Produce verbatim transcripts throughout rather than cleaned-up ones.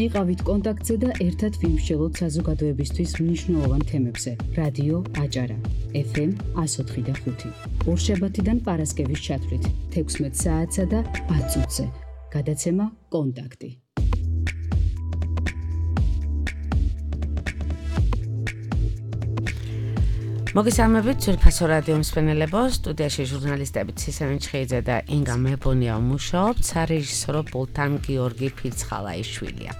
იყავით კონტაქტზე და ერთად ვიმსჯელოთ საზოგადოებისთვის მნიშვნელოვან თემებზე. რადიო აჭარა, ეფ ემ one oh four point five. ორშაბათიდან პარასკევის ჩათვლით, თექვსმეტ საათსა და ათ წუთზე. გადაცემა კონტაქტი. მოგესალმებით ძვირფასო რადიო მსმენელებო, სტუდიაში ჟურნალისტები ცისენ ჩხეიძე და ინგა მეფონია მუშაობთ, სარეჟისორო პულტთან გიორგი ფიცხალაიშვილია.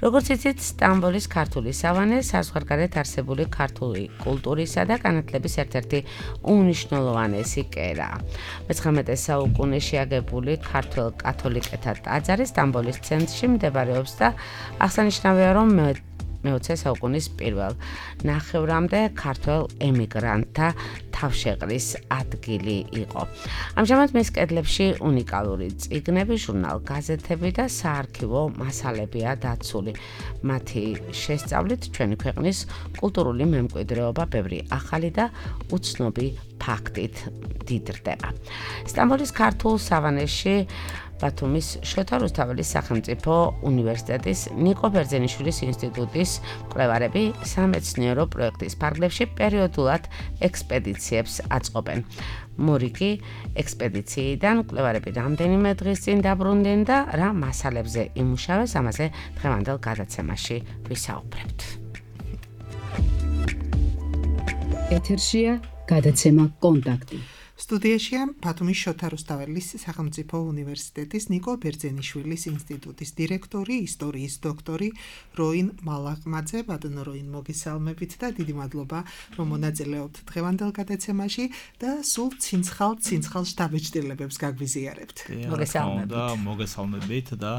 როგორც იცით, სტამბოლის ქართული სავანე საზღვარგარეთ არსებული ქართული კულტურისა და განათლების ერთ-ერთი უმნიშვნელოვანესი კერაა. მეცხრამეტე საუკუნეში აგებული ქართველ კათოლიკეთა ტაძარი სტამბოლის ცენტრში მდებარეობს და აღსანიშნავია, რომ მეოცე საუკუნის პირველ ნახევრამდე ქართველ ემიგრანტთა თავშეყრის ადგილი იყო. ამჟამად მის კედლებში უნიკალური წიგნები, ჟურნალ-გაზეთები და საარქივო მასალებია დაცული. მათი შესწავლით ჩვენი ქვეყნის კულტურული მემკვიდრეობა ბევრი ახალი და უცნობი ფაქტით დიდრდება. სტამბოლის ქართულ სავანეში ბათუმის შოთა რუსთაველის სახელმწიფო უნივერსიტეტის ნიკო ბერძენიშვილის ინსტიტუტის მკვლევარები სამეცნიერო პროექტის ფარგლებში პერიოდულად ექსპედიციებს აწყობენ. მორიგი ექსპედიციიდან მკვლევარები რამდენიმე დღის წინ დაბრუნდნენ და რა მასალებზე იმუშავეს, ამაზე დღევანდელ გადაცემაში ვისაუბრებთ. ეთერშია გადაცემა კონტაქტი. სტუდიაშია ბათუმის შოთა რუსთაველის სახელმწიფო უნივერსიტეტის ნიკო ბერძენიშვილის ინსტიტუტის დირექტორი, ისტორიის დოქტორი როინ მალაღმაძე. ბატონო როინ, მოგესალმებით და დიდი მადლობა, რომ მონაწილეობთ დღევანდელ გადაცემაში და სულ ცინცხალ ცინცხალ შთაბეჭდილებებს გაგვიზიარებთ. მოგესალმებით. მოგესალმებით და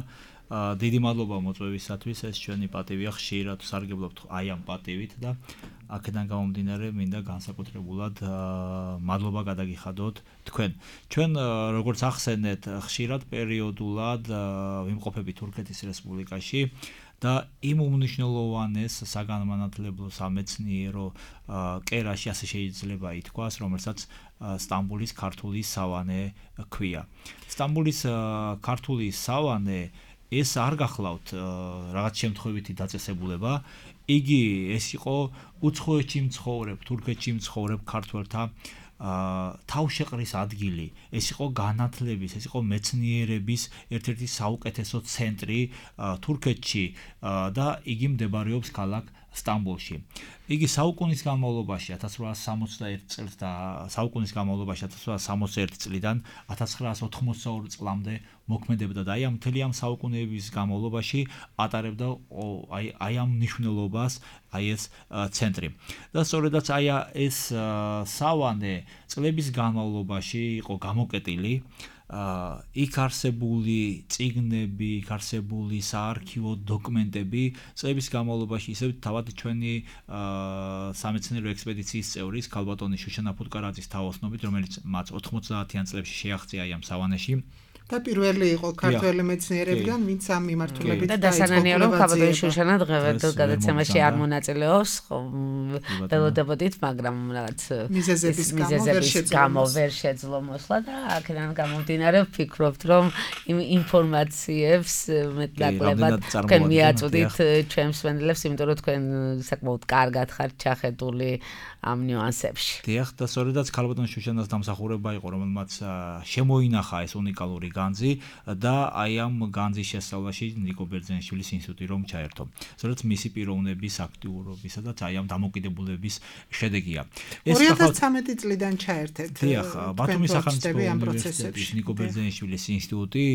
დიდი მადლობა მოწვევისათვის. ეს ჩვენი პატივია, ხშირად სარგებლობთ აი ამ პატივით და აქედან გამომდინარე მინდა განსაკუთრებულად მადლობა გადაგიხადოთ თქვენ. ჩვენ როგორც ახსენეთ, ხშირად პერიოდულად ვიმყოფებით თურქეთის რესპუბლიკაში და იმ უმნიშვნელოვანეს საგანმანათლებლო სამეცნიერო კერაში, ასე შეიძლება ითქვას, რომელსაც სტამბოლის ქართული სავანე ქვია. სტამბოლის ქართული სავანე ეს არ გახლავთ რაღაც შემთხვევითი დაწესებულება, იგი ეს იყო უცხოეთში მცხოვრებ, თურქეთში მცხოვრებ ქართველთა თავშეყრის ადგილი, ეს იყო განათლების, ეს იყო მეცნიერების ერთ-ერთი საუკეთესო ცენტრი თურქეთში და იგი მდებარეობს ქალაქ სტამბოლში. იგი საუკუნის განმავლობაში ათას რვაასი სამოცდაერთი წელს და საუკუნის განმავლობაში ათას რვაასი სამოცდაერთი წლიდან ათას ცხრაასი ოთხმოცდაორი წლამდე მოქმედებდა და აი ამ მთელი ამ საუკუნეების განმავლობაში ატარებდა აი აი ამ მნიშვნელობას აი ეს ცენტრი. და სწორედაც აი ეს სავანე წლების განმავლობაში იყო გამოკეტილი. იქ არსებული წიგნები, იქ არსებული საარქივო დოკუმენტები წლების განმავლობაში ისევ თავად ჩვენი სამეცნიერო ექსპედიციის წევრის ქალბატონი შუშანა ფუტკარაძის თაოსნობით, რომელიც მათ ოთხმოცდაათიან წლებში შეაღწია ამ სავანეში. და პირველი იყო ქართველი მეცნიერებიდან, ვინც ამ მიმართულებით და დასანანია, რომ ქალბატონი შუშანა დღევანდელ გადაცემაში არ მონაწილეობს, ველოდებოდით, მაგრამ რაღაც მიზეზების გამო ვერ შეძლო მოსვლა და აქედან გამომდინარე ვფიქრობთ, რომ იმ ინფორმაციებს მეტნაკლებად თქვენ მიაწვდით ჩვენს მსმენელებს, იმიტომ რომ თქვენ საკმაოდ კარგად ხართ ჩახედული ამ ნიუანსებში. დიახ, და სწორედაც ქალბატონ შუშანას დამსახურება იყო, რომელმაც შემოინახა ეს უნიკალური განძი და აი ამ განძის შესწავლაში ნიკო ბერძენიშვილის ინსტიტუტი რომ ჩაერთო. სწორედ მისი პიროვნების აქტიურობისა და აი ამ დამოკიდებულების შედეგია. ორი ათას ცხრამეტი წლიდან ჩაერთეთ. დიახ, ბათუმის სახელმწიფო უნივერსიტეტის ნიკო ბერძენიშვილის ინსტიტუტი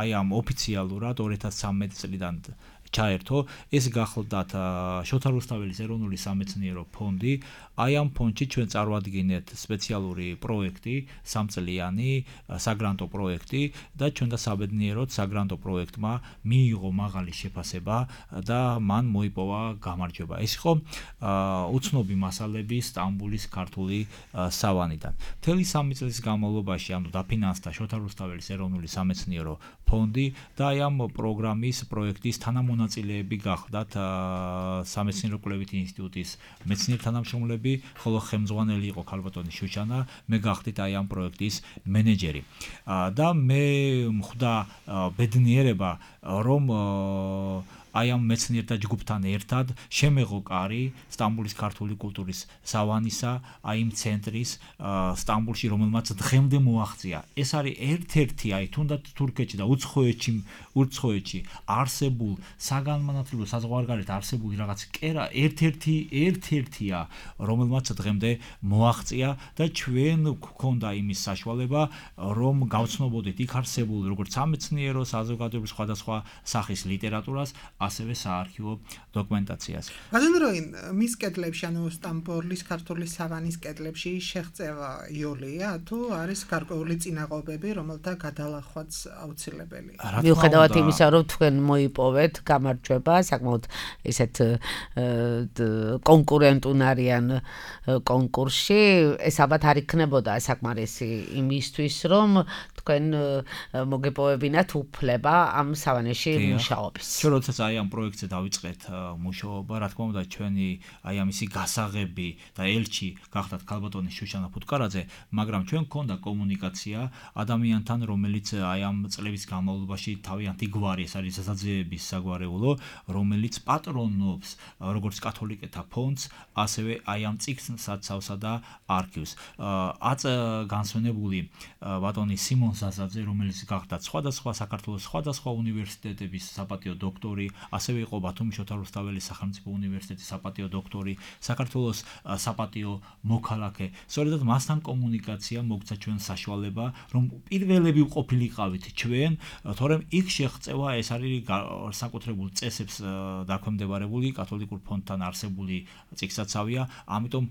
აი ამ ოფიციალურად ორი ათას ცხრამეტი წლიდან ჩაერთო. ეს გახლდათ შოთა რუსთაველის ეროვნული სამეცნიერო ფონდი. აი ამ ფონდში ჩვენ წარვადგინეთ სპეციალური პროექტი, სამწლიანი საგრანტო პროექტი და ჩვენ და საბედნიეროდ საგრანტო პროექტმა მიიღო მაღალი შეფასება და მან მოიპოვა გამარჯვება. ეს იყო უცნობი მასალები სტამბოლის ქართული სავანიდან. მთელი სამი წლის განმავლობაში ანუ დაფინანსდა შოთა რუსთაველის ეროვნული სამეცნიერო ფონდი და აი ამ პროგრამის პროექტის თანამონაწილეები გახდათ სამეცნიერო კვლევითი ინსტიტუტის მეცნიერ თანამშრომლები, ხოლო ხელმძღვანელი იყო ქალბატონი შუშანა, მე გახდით აი ამ პროექტის მენეჯერი. და მე მხვდა ბედნიერება, რომ აი ამ მეცნიერთა ჯგუფთან ერთად შემეღო კარი სტამბოლის ქართული კულტურის სავანისა, აი იმ ცენტრის სტამბოლში, რომელმაც დღემდე მოაღწია. ეს არის ერთ-ერთი, აი თუნდაც თურქეთში და უცხოეთში, უცხოეთში არსებულ საგანმანათლებლო საზღვარგარეთ არსებული რაღაც კერა ერთ-ერთი ერთ-ერთია, რომელმაც დღემდე მოაღწია და ჩვენ გვქონდა იმის საშუალება, რომ გავცნობოდეთ იქ არსებულ როგორც სამეცნიერო, საზოგადოებრივ სხვადასხვა სახის ლიტერატურას, ასევე საარქივო დოკუმენტაციას. ბატონროინ, მის კედლებში, ანუ სტამბოლის ქართული სავანის კედლებში შეღწევა იოლია, თუ არის გარკვეული წინაღობები, რომელთა გადალახვაც აუცილებელია? მიუხედავად იმისა, რომ თქვენ მოიპოვეთ გამარჯვება, საკმაოდ ესეთ კონკურენტუნარიან კონკურსში, ეს ალბათ არ იქნებოდა საკმარისი იმისთვის, რომ თქვენ მოგეპოვებინათ უფლება ამ სავანეში მუშაობის. ჩვენ როდესაც აი ამ პროექტზე დავიწყეთ მუშაობა, რა თქმა უნდა, ჩვენი აი ამისი გასაღები და ელჩი გახდათ ქალბატონი შუშანა ფუტკარაძე, მაგრამ ჩვენ გქონდა კომუნიკაცია ადამიანთან, რომელიც აი ამ წლების განმავლობაში თავიანთი გვარი, ეს არის საზაძეების საგვარეულო, რომელიც პატრონობს როგორც კათოლიკეთა ფონდს, ასევე აი ამ წიგნსაცავსა და არქივს. აწ განსვენებული ბატონი სიმონ საზაძე, რომელიც გახდა სხვადასხვა საქართველოს სხვადასხვა უნივერსიტეტების საპატიო დოქტორი, ასევე იყო ბათუმის შოთა რუსთაველის სახელმწიფო უნივერსიტეტის საპატიო დოქტორი, საქართველოს საპატიო მოქალაქე. სწორედ მასთან კომუნიკაცია მოგცა ჩვენ საშუალება, რომ პირველები ვყოფილიყავით ჩვენ, თორემ იქ შეღწევა ეს არის საკუთრებულ წესებს დაქვემდებარებული კათოლიკურ ფონდთან არსებული წიგნსაცავია, ამიტომ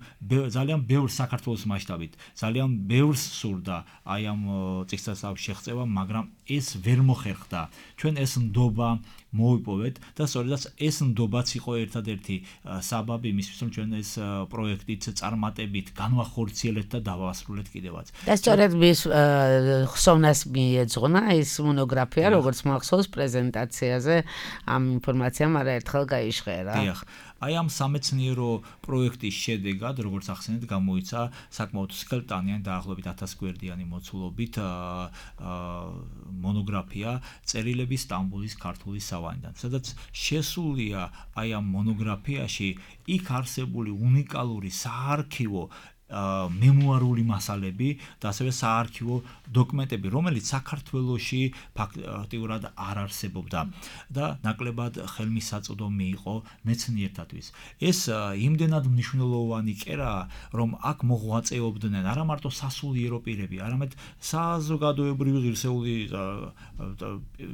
ძალიან ბევრ საქართველოს მასშტაბით, ძალიან ბევრს სურდა აი ამ წიგნსაცავის შეღწევა, მაგრამ ეს ვერ მოხერხდა. ჩვენ ეს ნდობა მოვიპოვეთ და სწორედაც ეს ნდობაც იყო ერთადერთი საბაბი იმისთვის, რომ ჩვენ ეს პროექტით წარმატებით განვახორციელებთ და დავასრულეთ კიდევაც. და სწორედ მის ხსოვნას მიეძღვნა ეს მონოგრაფია, როგორც მახსოვს პრეზენტაციაზე ამ ინფორმაციამ არაერთხელ გაიჟღერა. დიახ. აი ამ სამეცნიერო პროექტის შედეგად, როგორც ახსენეთ, გამოიცა საკმაოდ სქელტანიანი დაახლოებით ათას გვერდიანი მოცულობით მონოგრაფია წერილები სტამბოლის ქართული სავანიდან, სადაც შესულია აი ამ მონოგრაფიაში იქ არსებული უნიკალური საარქივო მემუარული მასალები და ასევე საარქივო დოკუმენტები, რომელიც საქართველოში ფაქტიურად არ არსებობდა და ნაკლებად ხელმისაწვდომი იყო მეცნიერთათვის. ეს იმდენად მნიშვნელოვანი კერაა, რომ აქ მოღვაწეობდნენ არა მარტო სასულიერო პირები, არამედ საზოგადოებრივი ღირსეული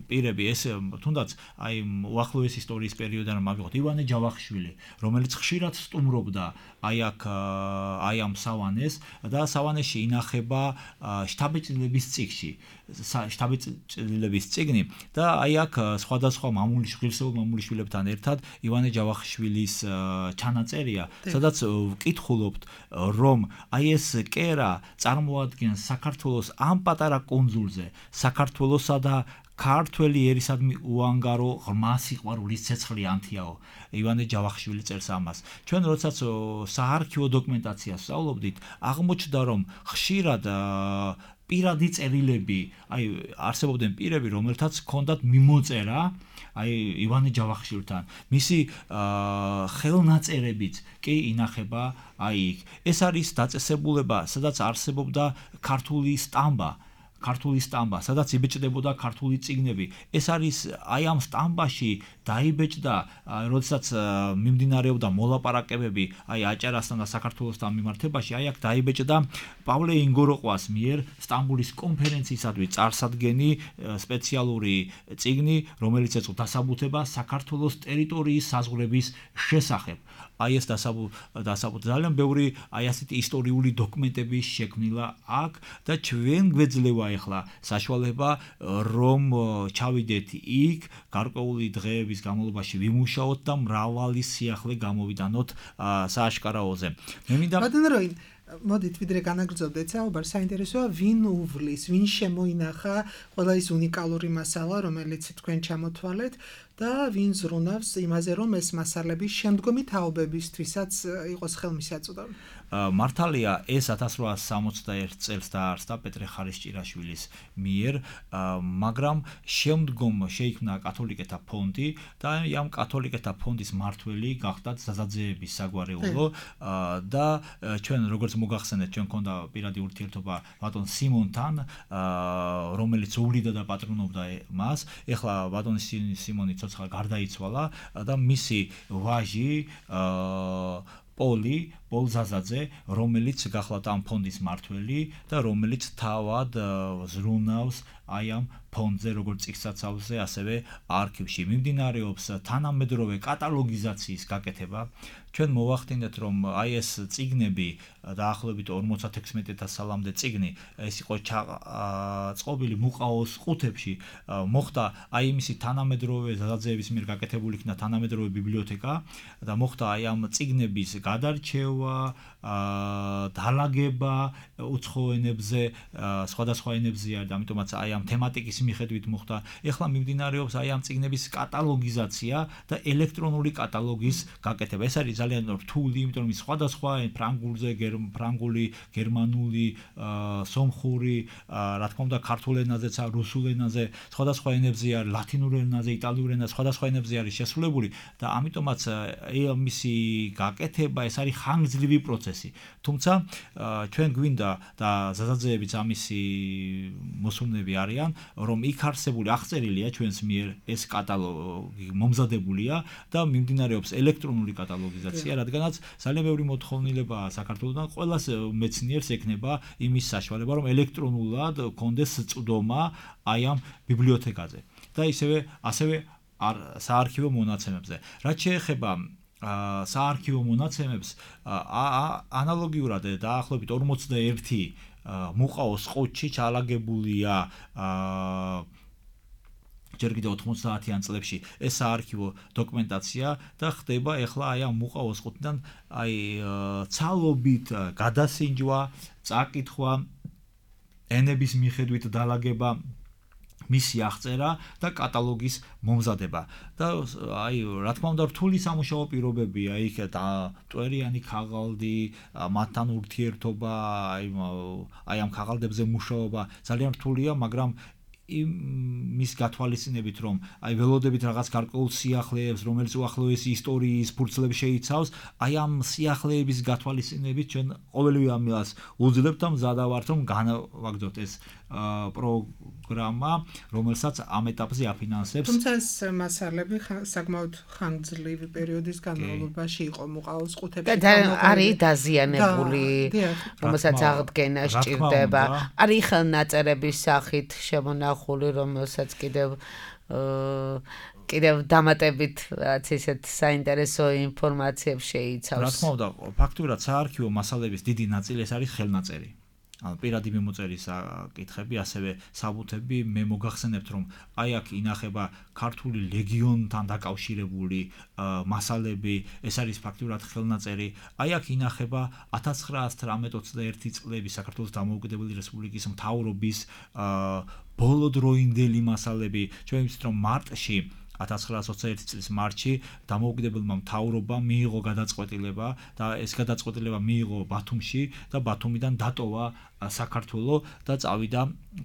პირები, ეს თუნდაც აი უახლოეს ისტორიის პერიოდიდან მივიღოთ ივანე ჯავახიშვილი, რომელიც ხშირად სტუმრობდა აი აქ აი ამ სავანეს და სავანეში ინახება შტაბეჭდილების წიგნში, შტაბეჭდილების წიგნი და აი აქ სხვადასხვა მამული ღირსეულ მამულიშვილებთან ერთად ივანე ჯავახიშვილის ჩანაწერია, სადაც ვკითხულობთ, რომ აი ეს კერა წარმოადგენს საქართველოს ამ პატარა კუნძულზე, საქართველოსა და ქართველი ერისადმი უანგარო ღრმა სიყვარულის ცეცხლი ანთიაო. ივანე ჯავახიშვილი წერს ამას. ჩვენ როდესაც საარქივო დოკუმენტაციას ვსწავლობდით, აღმოჩნდა, რომ ხშირად პირადი წერილები, აი არსებობდნენ პირები, რომელთაც ჰქონდათ მიმოწერა აი ივანე ჯავახიშვილთან. მისი ხელნაწერებიც კი ინახება აი იქ. ეს არის დაწესებულება, სადაც არსებობდა ქართული სტამბა. ქართული სტამბა, სადაც იბეჭდებოდა ქართული წიგნები. ეს არის აი ამ სტამბაში დაიბეჭდა, როდესაც მიმდინარეობდა მოლაპარაკებები აი აჭარასთან და საქართველოსთან მიმართებაში, აი აქ დაიბეჭდა პავლე ინგოროყვას მიერ სტამბოლის კონფერენციისადმი წარსადგენი სპეციალური წიგნი, რომელიც ეწოდა დასაბუთება საქართველოს ტერიტორიის საზღვრების შესახებ. აი ეს დასაბუთება ძალიან ბევრი აი ასეთი ისტორიული დოკუმენტები შექმნილა აქ და ჩვენ გვეძლევა ეხლა საშუალება, რომ ჩავიდეთ იქ, გარკვეული დღეების განმავლობაში ვიმუშაოთ და მრავალი სიახლე გამოვიდანოთ სააშკარაოზე. მე მინდა ბატონროინ მოდით ვიდრე განაგრძობდეთ საუბარს, საინტერესოა ვინ უვლის, ვინ შემოინახა ყველა ის უნიკალური მასალა, რომელიც თქვენ ჩამოთვალეთ და ვინ ზრუნავს იმაზე, რომ ეს მასალები შემდგომი თაობებისთვისაც იყოს ხელმისაწვდომი. მართალია ეს ათას რვაასი სამოცდაერთ წელს დაარსდა პეტრე ხარისჭირაშვილის მიერ, მაგრამ შემდგომ შეიქმნა კათოლიკეთა ფონდი და ამ კათოლიკეთა ფონდის მმართველი გახდათ ზაზაძეების საგვარეულო და ჩვენ როგორც მოგახსენეთ, ჩვენ ქონდა პირადი ურთიერთობა ბატონ სიმონთან, რომელიც უვლიდა და პატრონობდა მას. ეხლა ბატონი სიმონი ცოცხალ გარდაიცვალა და მისი ვაჟი პოლი პოლზაზაძე, რომელიც გახლავთ ამ ფონდის მმართველი და რომელიც თავად ზრუნავს აი ამ ფონდზე, როგორც წიგნსაცავზე, ასევე არქივში. მიმდინარეობს თანამედროვე კატალოგიზაციის გაკეთება. ჩვენ მოვახდინეთ, რომ აი ეს წიგნები დაახლოებით ორმოცდათექვსმეტ სალამდე წიგნი, ეს იყო წყობილი მუყაოს ყუთებში, მოხდა აი იმისი თანამედროვე ზაზაძეების მიერ გაკეთებული იქნა თანამედროვე ბიბლიოთეკა და მოხდა აი ამ წიგნების გადარჩევა, დალაგება უცხო ენებზე, სხვადასხვა ენებზე არის და ამიტომაც აი ამ თემატიკის მიხედვით მოხდა. ეხლა მიმდინარეობს აი ამ წიგნების კატალოგიზაცია და ელექტრონული კატალოგის გაკეთება. ეს არის ძალიან რთული, იმიტომ რომ სხვადასხვა ფრანგულზე, ფრანგული, გერმანული, სომხური, რა თქმა უნდა, ქართულ ენაზეც, რუსულ ენაზე, სხვადასხვა ენებზე არის, ლათინურ ენაზე, იტალიურ ენაზე, სხვადასხვა ენებზე არის შესრულებული და ამიტომაც მისი გაკეთება ეს არის ხანგრძლივი პროცესი. თუმცა ჩვენ გვინდა და ზაზაძეებიც ამისი მოსულნები არიან, რომ იქ არსებული აღწერილია ჩვენს მიერ ეს კატალოგი მომზადებულია და მიმდინარეობს ელექტრონული კატალოგიზაცია, რადგანაც ძალიან ბევრი მოთხოვნილებაა საქართველოსთან, ყველას მეცნიერს ექნება იმის საშუალება, რომ ელექტრონულად კონდეს წვდომა აი ამ ბიბლიოთეკაზე და ისევე ასევე საარქივო მონაცემებზე. რაც შეეხება საარქივო მონაცემებს, ანალოგიურად დაახლოებით ორმოცდაერთი მუყაოს ყუთში ჩალაგებულია ჯერ კიდევ ოთხმოცდაათიან წლებში ეს საარქივო დოკუმენტაცია და ხდება ეხლა აი ამ მუყაოს ყუთიდან აი ცალობით გადასინჯვა, წაკითხვა, ენების მიხედვით დალაგება, მისი აღწერა და კატალოგის მომზადება. და აი რა თქმა უნდა რთული სამუშაო პირობებია იქ და მტვერიანი ქაღალდი, მათთან ურთიერთობა, აი აი ამ ქაღალდებზე მუშაობა ძალიან რთულია, მაგრამ იმის გათვალისწინებით, რომ აი ველოდებით რაღაც გარკვეულ სიახლეებს, რომელიც უახლოესი ისტორიის ფურცლებს შეიცავს, აი ამ სიახლეების გათვალისწინებით ჩვენ ყოველივე ამას უძლებთ და მზადა ვართ, რომ განვაგრძოთ ეს პროგრამა, რომელსაც ამ ეტაპზე აფინანსებს. თუმცა ეს მასალები საკმაოდ ხანგრძლივი პერიოდის განმავლობაში იყო მუყაოს ყუთებში. და არის დაზიანებული, რომელსაც აღდგენა სჭირდება. არის ხელნაწერების სახით შემონახული, რომელსაც კიდევ კიდევ დამატებით რაც ისეთ საინტერესო ინფორმაციებს შეიცავს. რა თქმა უნდა, ფაქტურად საარქივო მასალების დიდი ნაწილი ეს არის ხელნაწერი. ანუ პირადი მიმოწერის კითხები, ასევე საბუთები, მე მოგახსენებთ, რომ აი აქ ინახება ქართული ლეგიონთან დაკავშირებული მასალები, ეს არის ფაქტურად ხელნაწერი. აი აქ ინახება ათას ცხრაასი ოცდაერთი წლების საქართველოს დამოუკიდებელი რესპუბლიკის მთავრობის ბოლოდროინდელი მასალები. ჩვენ ვიცით, რომ მარტში ათას ცხრაასი ოცდაერთი წლის მარტში დამოუკიდებელმა მთავრობამ მიიღო გადაწყვეტილება და ეს გადაწყვეტილება მიიღო ბათუმში და ბათუმიდან დატოვა საქართველო და წავიდა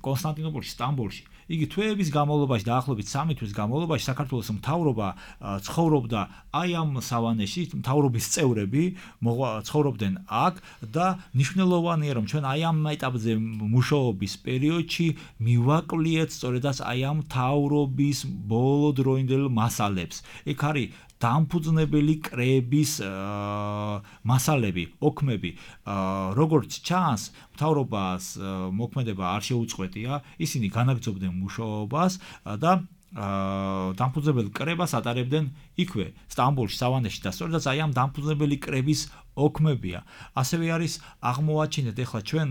კონსტანტინოპოლში, სტამბოლში. იგი თვეების განმავლობაში, დაახლოებით სამი თვის განმავლობაში საქართველოს მთავრობა ცხოვრობდა აი ამ სავანეში, მთავრობის წევრები ცხოვრობდნენ აქ და მნიშვნელოვანია, რომ ჩვენ აი ამ ეტაპზე მუშაობის პერიოდში მივაკვლიეთ სწორედაც აი ამ მთავრობის ბოლოდროინდელ მასალებს. იქ არის დამფუძნებელი კრების მასალები, ოქმები, როგორც ჩანს, მთავრობას მოქმედება არ შეუწყვეტია, ისინი განაგრძობდნენ მუშაობას და დამფუძნებელი კრებას ატარებდნენ იქვე, სტამბოლში, სავანეში და სწორედაც აი ამ დამფუძნებელი კრების ოქმებია. ასევე არის აღმოაჩინეთ ეხლა ჩვენ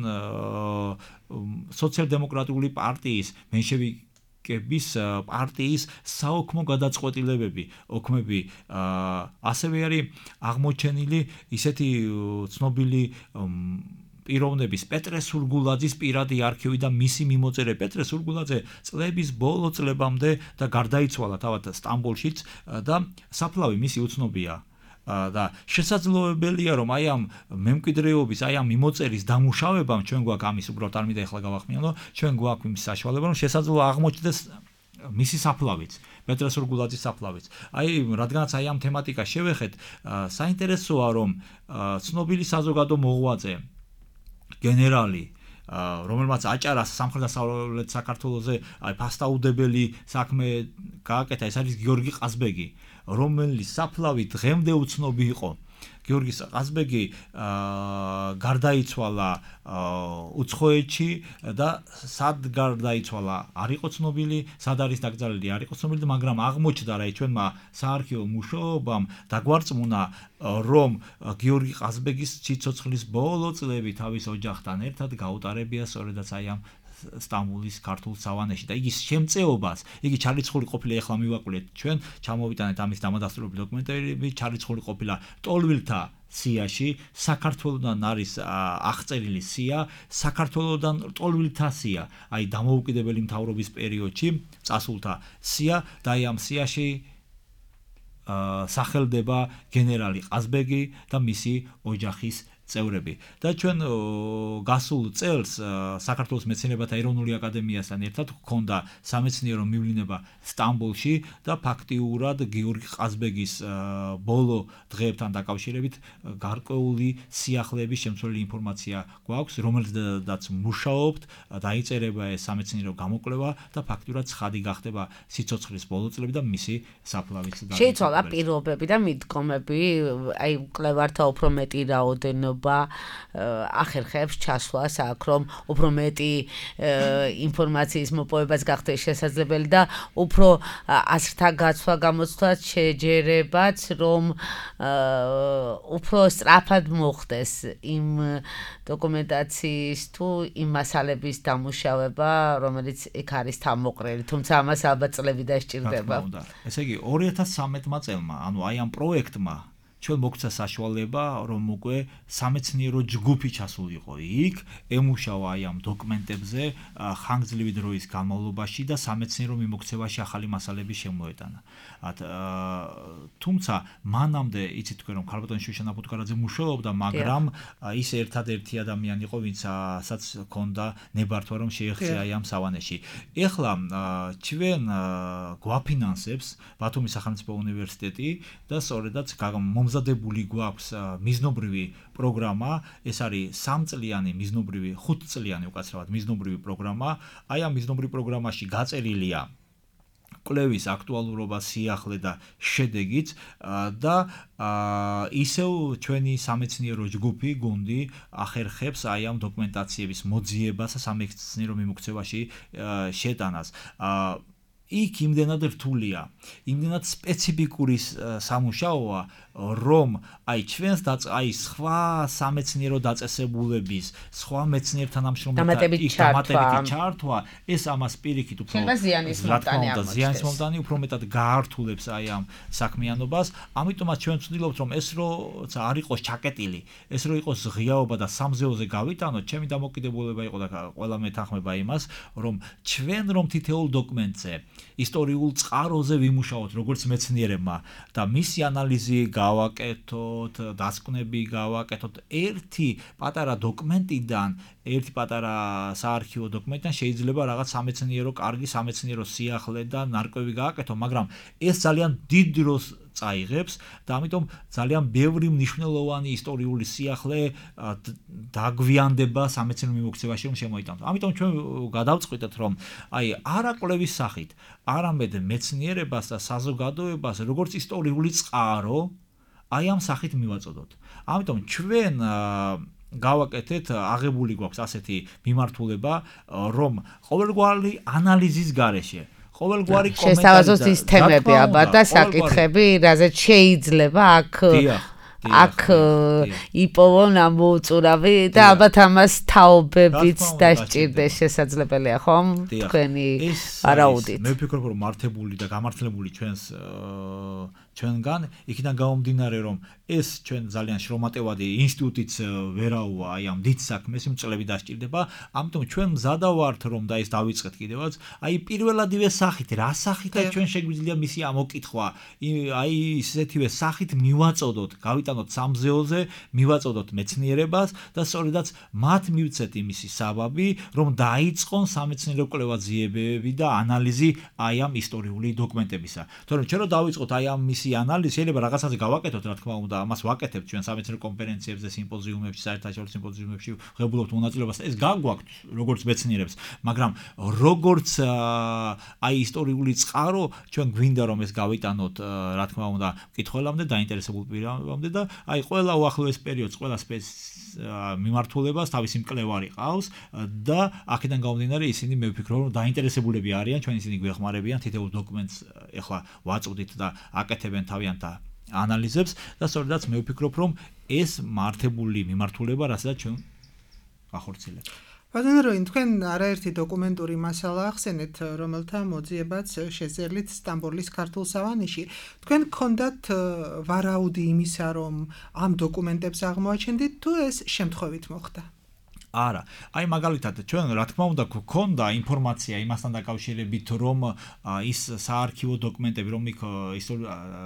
სოციალ-დემოკრატიული პარტიის მენშევიკ პარტიის საოქმო გადაწყვეტილებები, ოქმები, ასევე არის აღმოჩენილი ისეთი ცნობილი პიროვნების პეტრე სურგულაძის პირადი არქივი და მისი მიმოწერე. პეტრე სურგულაძე წლების ბოლო წლებამდე და გარდაიცვალა თავად სტამბოლშიც და საფლავი მისი უცნობია. და შესაძლებელია რომ აი ამ მემკვიდრეობის, აი ამ მიმოწერის დამუშავებამ ჩვენ გვაქვს ამის უბრალოდ არ მინდა ახლა გავახმიანო, ჩვენ გვაქვს იმის საშუალება რომ შესაძლოა აღმოჩნდეს მისი საფლავიც, პეტრე სურგულაძის საფლავიც. აი რადგანაც აი ამ თემატიკას შევეხეთ, საინტერესოა რომ ცნობილი საზოგადო მოღვაწე გენერალი რომელმაც აჭარა სამხრეთ-დასავლეთ საქართველოზე აი ფასტაუდებელი საქმე გააკეთა, ეს არის გიორგი ყაზბეგი, რომელიც საფლავი დღემდე უცნობი იყო. გიორგი ყაზბეგი გარდაიცვალა უცხოეთში და სად გარდაიცვალა არ იყო ცნობილი, სად არის დაკრძალული არ იყო ცნობილი, მაგრამ აღმოჩნდა რა ჩვენმა საარქივო მუშაობამ დაგვარწმუნა რომ გიორგი ყაზბეგის სიცოცხლის ბოლო წლები თავის ოჯახთან ერთად გაუტარებია სწორედაც აი ამ სტამბოლის ქართულ სავანეში და იგი შემწეობას, იგი ჩარიცხული ყოფილა, ეხლა მივაკვლიეთ ჩვენ, ჩამოვიტანეთ ამის დამადასტურებელი დოკუმენტები, ჩარიცხული ყოფილა ტოლვილთა სიაში, საქართველოდან არის აღწერილი სია, საქართველოდან ტოლვილთა სია, აი დამოუკიდებელი მთავრობის პერიოდში წასულთა სია და აი ამ სიაში სახელდება გენერალი ყაზბეგი და მისი ოჯახის წევრები. და ჩვენ გასულ წელს საქართველოს მეცნიერებათა ეროვნული აკადემიასთან ერთად გქონდა სამეცნიერო მივლინება სტამბოლში და ფაქტიურად გიორგი ყაზბეგის ბოლო დღეებთან დაკავშირებით გარკვეული სიახლეების შემცვლელი ინფორმაცია გვაქვს, რომელზედაც მუშაობთ, დაიწერება ეს სამეცნიერო გამოკვლევა და ფაქტიურად ცხადი გახდება სიცოცხლის ბოლო წლები და მისი საფლავიც. შეიცვალა პირობები და მიდგომები, აი მკვლევართა უფრო მეტი რაოდენობა ახერხებს ჩასვლას აქ რომ უფრო მეტი ინფორმაციის მოპოვებას გახდეს შესაძლებელი და უფრო აზრთა გაცვლა გამოცდაც შეჯერებაც რომ უფრო სწრაფად მოხდეს იმ დოკუმენტაციის თუ იმ მასალების დამუშავება, რომელიც იქ არის თავმოყრილი, თუმცა ამას ალბათ წლები დასჭირდება. ესე იგი ორი ათას სამეთმა წელმა, ანუ აი ამ პროექტმა ჩვენ მოგცა საშუალება რომ უკვე სამეცნიერო ჯგუფი ჩასულიყო იქ, ემუშავა აი ამ დოკუმენტებზე ხანგრძლივი დროის განმავლობაში და სამეცნიერო მიმოქცევაში ახალი მასალები შემოეტანა. თუმცა მანამდე იცით თქვენ რომ ქალბატონი შუშანა ფუტკარაძე მუშაობდა, მაგრამ ის ერთადერთი ადამიანი იყო, ვინცაც ჰქონდა ნებართვა რომ შეეხწია აი ამ სავანეში. ეხლა ჩვენ გვაფინანსებს ბათუმის სახელმწიფო უნივერსიტეტი და სწორედაც მომზადებული გვაქვს მიზნობრივი პროგრამა, ეს არის სამწლიანი მიზნობრივი, ხუთწლიანი უკაცრავად მიზნობრივი პროგრამა. აი ამ მიზნობრივ პროგრამაში გაწერილია კვლევის აქტუალურობა, სიახლე და შედეგიც და ისევ ჩვენი სამეცნიერო ჯგუფი, გუნდი ახერხებს აი ამ დოკუმენტაციების მოძიებას და სამეცნიერო მიმოქცევაში შეტანას. იქ იმდენად რთულია, იმდენად სპეციფიკური სამუშაოა, რომ აი ჩვენს და აი სხვა სამეცნიერო დაწესებულების, სხვა მეცნიერთა ნამშრომლთა დამატებითი ჩართვა, ეს ამას პირიქით უფრო ზიანის მომდანი უფრო მეტად გაართულებს აი ამ საქმიანობას. ამიტომაც ჩვენ ვცდილობთ რომ ეს როცა არ იყოს ჩაკეტილი, ეს რო იყოს ღიაობა და სამზეოზე გავიტანოთ, ჩემი დამოკიდებულება იყო და ყველა მეთანხმება იმას, რომ ჩვენ რომ თითოეულ დოკუმენტზე ისტორიულ წყაროზე ვიმუშაოთ როგორც მეცნიერებმა და მისი ანალიზი გავაკეთოთ, დასკვნები გავაკეთოთ ერთი პატარა დოკუმენტიდან, ერთი პატარა საარქივო დოკუმენტიდან შეიძლება რაღაც სამეცნიერო კარგი სამეცნიერო სიახლე და ნარკვევი გააკეთო, მაგრამ ეს ძალიან დიდ დროს წაიღებს და ამიტომ ძალიან ბევრი მნიშვნელოვანი ისტორიული სიახლე დაგვიანდება სამეცნიერო მიმოქცევაში რომ შემოიტანოთ. ამიტომ ჩვენ გადავწყვიტეთ რომ აი არა კვლევის სახით, არამედ მეცნიერებას და საზოგადოებას როგორც ისტორიული წყარო აი ამ სახით მივაწოდოთ. ამიტომ ჩვენ გავაკეთეთ, აღებული გვაქვს ასეთი მიმართულება, რომ ყოველგვარი ანალიზის გარეშე ყოველგვარი კომენტარი შესთავაზოს ის თემები ალბათ და საკითხები, რაზეც შეიძლება აქ აქ იპოვონ ამოუწურავი და ალბათ ამას თაობებიც დასჭირდეს შესაძლებელია, ხომ? თქვენი არაუდით. მე ვფიქრობ, რომ მართებული და გამართლებული ჩვენს ჩვენგან, იქიდან გამომდინარე, რომ ეს ჩვენ ძალიან შრომატევადი ინსტიტუტიც ვერაუა აი ამ დიდ საქმეს, იმ წლები დასჭირდება, ამიტომ ჩვენ მზადა ვართ, რომ და ეს დავიწყეთ კიდევაც, აი პირველადივე სახით, რა სახითაც ჩვენ შეგვიძლია მისი ამოკითხვა, აი ისეთივე სახით მივაწოდოთ, გავიტანოთ სამზეოზე, მივაწოდოთ მეცნიერებას და სწორედაც მათ მივცეთ იმისი საბაბი, რომ დაიწყონ სამეცნიერო კვლევა-ძიებები და ანალიზი აი ამ ისტორიული დოკუმენტებისა. თორემ ჩვენ რო დავიწყოთ აი ამ მისი ანალიზი, შეიძლება რაღაცაზე გავაკეთოთ, რა თქმა უნდა, ამას ვაკეთებთ ჩვენ სამეცნიერო კონფერენციებზე, სიმპოზიუმებში, საერთაშორისო სიმპოზიუმებში, ღებულობთ მონაწილეობას. ეს გაგვაქვთ როგორც მეცნიერებს, მაგრამ როგორც აი ისტორიული წყარო, ჩვენ გვინდა რომ ეს გავიტანოთ, რა თქმა უნდა, მკითხველამდე, დაინტერესებულ პირამდე და აი ყველა უახლოეს პერიოდს, ყველა სპეც მიმართულებას თავისი მკვლევარი ყავს და აქედან გამომდინარე ისინი მე ვფიქრობ რომ დაინტერესებულები არიან, ჩვენ ისინი გვეხმარებიან თითოეულ დოკუმენტს ეხლა ვაწვდით და აკეთებენ თავიანთა ანალიზებს და სწორედაც მე ვფიქრობ რომ ეს მართებული მიმართულება, რასაც ჩვენ ახორციელებთ. ბატონო როინ, თქვენ არაერთი დოკუმენტური მასალა ახსენეთ, რომელთა მოძიებაც შეძერლით სტამბოლის ქართულ სავანეში. თქვენ გქონდათ ვარაუდი იმისა, რომ ამ დოკუმენტებს აღმოაჩენდით, თუ ეს შემთხვევით მოხდა? არა, აი მაგალითად ჩვენ რა თქმა უნდა გქონდა ინფორმაცია იმასთან დაკავშირებით, რომ ის საარქივო დოკუმენტები, რომ იქ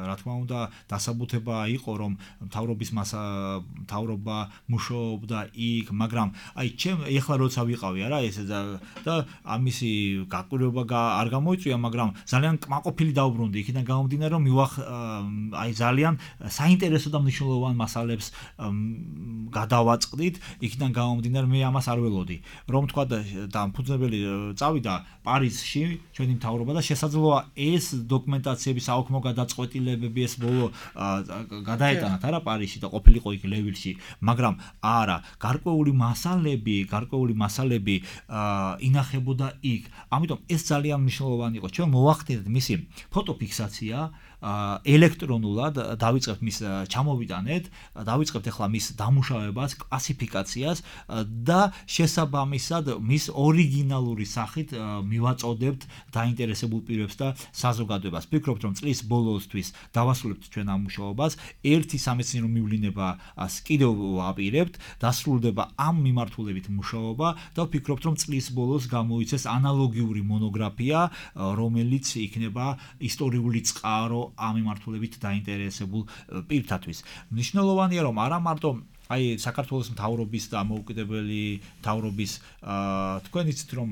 რა თქმა უნდა დასაბუთება იყო, რომ მთავრობის მთავრობა მუშაობდა იქ, მაგრამ აი ჩემ ეხლა როცა ვიყავი არა ეს და ამისი გაკვირვება არ გამოიწვია, მაგრამ ძალიან კმაყოფილი დავბრუნდი იქიდან გამომდინარე, რომ მივახ აი ძალიან საინტერესო და მნიშვნელოვან მასალებს გადავაწყდით, იქიდან გამომდინარე მე ამას არ ველოდი, რომ თქვა და ფუძნებელი წავიდა პარიზში ჩვენი მთავრობა და შესაძლოა ეს დოკუმენტაციების აუქმო გადაწყვეტილებები ეს ბოლო გადაეტანათ არა პარიზში და ყოფილიყო იქ ლევილში, მაგრამ არა, გარკვეული მასალები, გარკვეული მასალები ინახებოდა იქ. ამიტომ ეს ძალიან მნიშვნელოვანი იყო. ჩვენ მოვახდინეთ მისი ფოტოფიქსაცია ელექტრონულად, დავიწყებთ მის ჩამოვიტანეთ, დავიწყებთ ახლა მის დამუშავებას, კლასიფიკაციას და შესაბამისად მის ორიგინალური სახით მივაწოდებთ დაინტერესებულ პირებს და საზოგადოებას. ვფიქრობთ, რომ წლის ბოლოსთვის დავასრულებთ ჩვენ ამ მუშაობას, ერთი სამეცნიერო მივლინება კიდევ ვაპირებთ, დასრულდება ამ მიმართულებით მუშაობა და ვფიქრობთ, რომ წლის ბოლოს გამოიცეს ანალოგიური მონოგრაფია, რომელიც იქნება ისტორიული წყარო ამ მიმართულებით დაინტერესებულ პირთათვის. მნიშვნელოვანია, რომ არა მარტო აი საქართველოს მთავრობის და ამოუკიდებელი მთავრობის თქვენ იცით რომ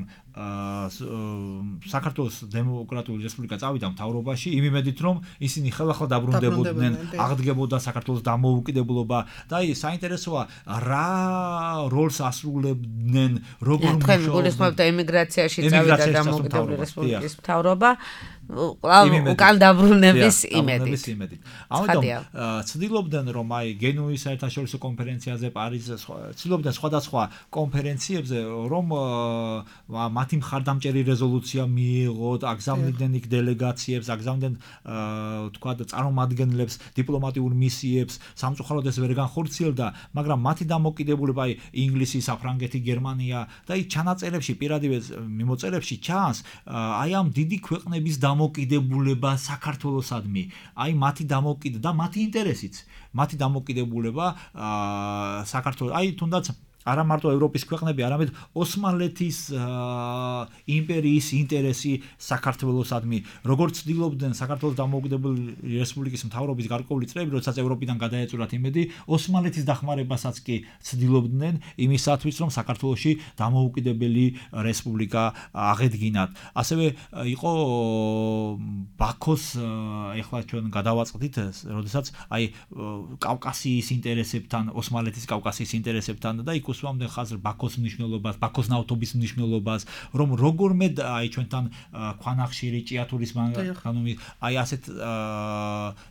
საქართველოს დემოკრატიული რესპუბლიკა წავიდა მთავრობაში იმ იმედით რომ ისინი ხელახლა დაბრუნდებოდნენ, აღდგებოდა საქართველოს დამოუკიდებლობა და აი საინტერესოა რა როლს ასრულებდნენ, როგორ მუშაობდნენ. თქვენ გულისხმობთ ემიგრაციაში წავიდა დამოუკიდებელი რესპუბლიკის მთავრობა უკან დაბრუნების იმედით. ამიტომ ცდილობდნენ რომ აი გენუის საერთაშორისო კონფერენციაზე, პარიზზე, ცდილობდნენ სხვადასხვა კონფერენციებზე რომ მათი მხარდამჭერი რეზოლუცია მიიღოთ, აგზავნიდნენ იქ დელეგაციებს, აგზავნიდნენ თქვა და წარმომადგენლებს, დიპლომატიურ მისიებს, სამწუხაროდ ეს ვერ განხორციელდა, მაგრამ მათი დამოკიდებულება აი ინგლისი, საფრანგეთი, გერმანია და აი ჩანაწერებში, პირადივე მიმოწერებში ჩანს აი ამ დიდი ქვეყნების დამოკიდებულება საქართველოსადმი, აი მათი დამოკიდება და მათი ინტერესიც, მათი დამოკიდებულება საქართველოს, აი თუნდაც არა მარტო ევროპის ქვეყნები, არამედ ოსმალეთის იმპერიის ინტერესი საქართველოსადმი, როგორც ცდილობდნენ საქართველოს დამოუკიდებელი რესპუბლიკის მთავრობის გარკვეული წრეები, როდესაც ევროპიდან გადაეწურათ იმედი, ოსმალეთის დახმარებასაც კი ცდილობდნენ იმისათვის, რომ საქართველოში დამოუკიდებელი რესპუბლიკა აღედგინათ. ასევე იყო ბაქოს ეხლა ჩვენ გადავაწყდით, როდესაც აი კავკასიის ინტერესებთან, ოსმალეთის კავკასიის ინტერესებთან და იქ უსვამდნენ ხაზს ბაქოს მნიშვნელობას, ბაქოს ნავთობის მნიშვნელობას, რომ როგორმე აი ჩვენთან ქვანახშირი, ჭიათურის მანქანუმი, აი ასეთ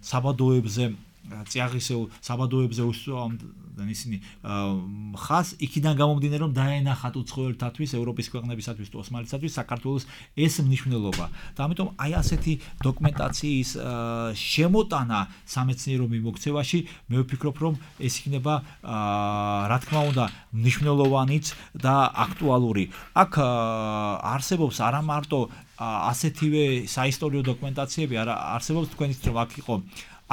საბადოებზე წიაღისეულ საბადოებზე უსვამდნენ ისინი ხაზს, იქიდან გამომდინარე რომ დაენახათ უცხოელთათვის, ევროპის ქვეყნებისათვის თუ ოსმალეთისათვის საქართველოს ეს მნიშვნელობა. და ამიტომ აი ასეთი დოკუმენტაციის შემოტანა სამეცნიერო მიმოქცევაში მე ვფიქრობ, რომ ეს იქნება რა თქმა უნდა მნიშვნელოვანიც და აქტუალური. აქ არსებობს არა მარტო ასეთივე საისტორიო დოკუმენტაციები არ არსებობს თქვენით რომ აქ იყო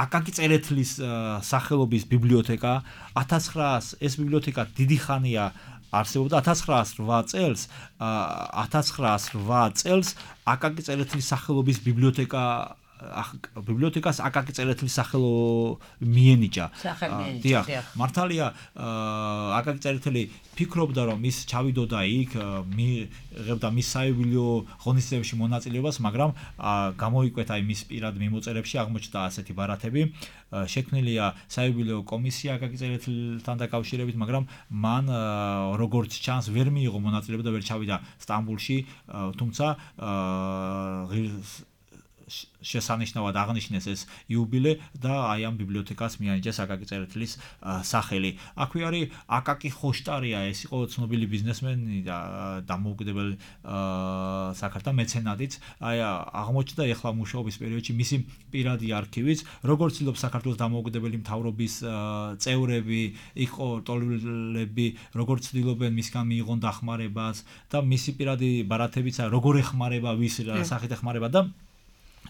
აკაკი წერეთლის სახელობის ბიბლიოთეკა ათას ცხრაას ეს ბიბლიოთეკა დიდი ხანია არსებობდა ათას ცხრაას რვა წელს ათას ცხრაას რვა წელს აკაკი წერეთლის სახელობის ბიბლიოთეკა ბიბლიოთეკას აკაკი წერეთლის სახელო მიენიჭა. დიახ, მართალია აკაკი წერეთელი ფიქრობდა რომ ის ჩავიდოდა იქ, მიიღებდა მის საიუბილეო ღონისძიებებში მონაწილეობას, მაგრამ გამოიკვეთა მის პირად მიმოწერებში აღმოჩნდა ასეთი ბარათები. შექმნილია საიუბილეო კომისია აკაკი წერეთელთან დაკავშირებით, მაგრამ მან როგორც ჩანს ვერ მიიღო მონაწილეობა და ვერ ჩავიდა სტამბულში, თუმცა შესანიშნავად აღნიშნეს ეს იუბილე და აი ამ ბიბლიოთეკას მიანიჭეს აკაკი წერეთლის სახელი. აქვე არის აკაკი ხოშტარია, ეს იყო ცნობილი ბიზნესმენი და დამოუკიდებელი საქართველოს მეცენატიც. აი აღმოჩნდა ეხლა მუშაობის პერიოდში მისი პირადი არქივიც, როგორც ცდილობს საქართველოს დამოუკიდებელი მთავრობის წევრები, იყო ტოლილები, როგორც ცდილობენ მისგან მიიღონ დახმარებას და მისი პირადი ბარათებიც როგორ ეხმარება, ვის სახით ეხმარება და